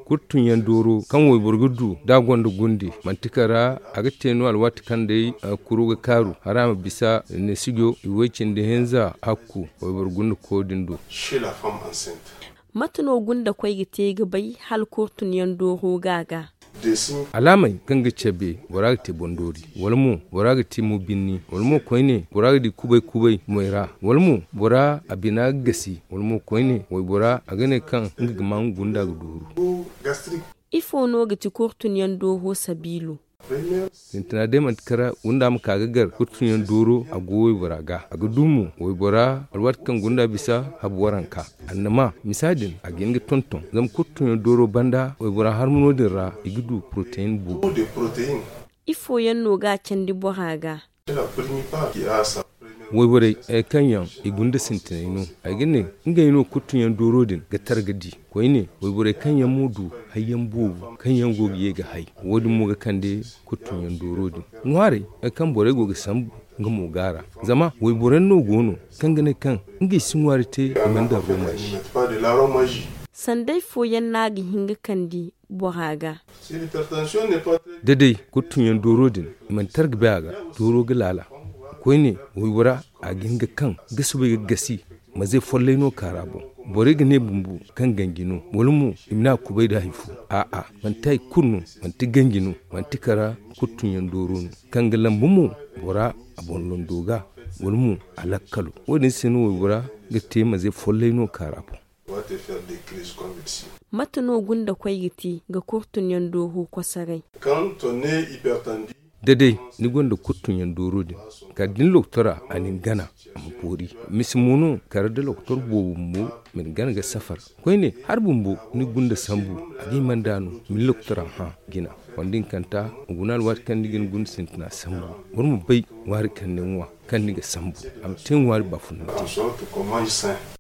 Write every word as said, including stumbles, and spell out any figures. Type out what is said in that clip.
Kurtuɲyaŋ dooro kaŋ wayboro ga du da a gonda gunde, manti kara a ga te no alwaati kaŋ day kuro ga kaaru hala a ma bisa neesijo i way cindi hinza hakku wayboro gundako din do. Mate no gundakoy ga te ga bay hala kurtuɲyaŋ dooro ga a ga? Alaamey kaŋ ga cabe bora ga te bondoori, wala mo bora ga te mo binni, wala mo koyne bora ga di kubay kubay moy ra, wala mo bora a bina ga gasi, wala mo koyne waybora a ga ne kaŋ nga ga maa nga gunda ga dooru. Ifo no ga ti kurtuɲyaŋ dooro sabiilo? Sintina day manti kara gunda ma ka ga gar kurtuɲyaŋ dooro a go waybora ga a ga du mo waybora alwaati kaŋ gunda bisa habu waranka. Annama misa din a ga hin ga tonton zama kurtuɲyaŋ dooro banda waybora harmano din ra i ga du poroteyin boobo. Ifo yaŋ no ga a candi bora ga? Wayborey kaŋ yaŋ i gunda sintinay no ay ga ne ngey no kurtuɲyaŋ dooro din ga tara ga di koyne wayborey kaŋ yaŋ mo du hayyaŋ boobo kaŋ yaŋ go ga ye ga hay. Wo- din mo ga kande kurtuɲyaŋ dooro din ŋwaarey kaŋ borey go ga sambu nga mo ga a ra. Zama wayboro yaŋ no go no kaŋ ga ne kaŋ ngey si ŋwaari te i mana daŋ romazi. Sanday fooyaŋ no a ga hin ga kande bora ga? Da day kurtuɲyaŋ dooro din i mana tara ga bay a ga, dooro ga laala. Koyne waybora a ga hin ga kaŋ ga soobay ga gasi. Maze follay no kaara boŋ. Borey ga ne bumbo kaŋ ganji no wala mo i ma ne a kubay nda hari fo. A'a, manti hari kulu no. Manti ganji no. Manti kara kurtuɲyaŋ dooro no kaŋ ga lambu mo bora a boŋ londo ga wala mo a lakkalo. Wo- din se no waybora ga te maze follay no kaara boŋ. Mate no gundakoy ga te ga kurtuɲyaŋ dooro kosoray? Da day ni gonda kurtuɲyaŋ dooro din kala da ni lokotora a na ni gana a ma boori. Misa mo no kala da lokotor boobo bumbo ma ni gana ga safar. Koyne hari bumbo ni gunda sambu a ga hima nda no ma ni lokotora hã jina. Wala da ni kanta ma guna alwaati kaŋ ni ga ni gunda sintina sambu. Boro ma bay ŋwaari kaŋ ni ŋwa kaŋ ni ga sambu a ma te ŋwaari baafunante.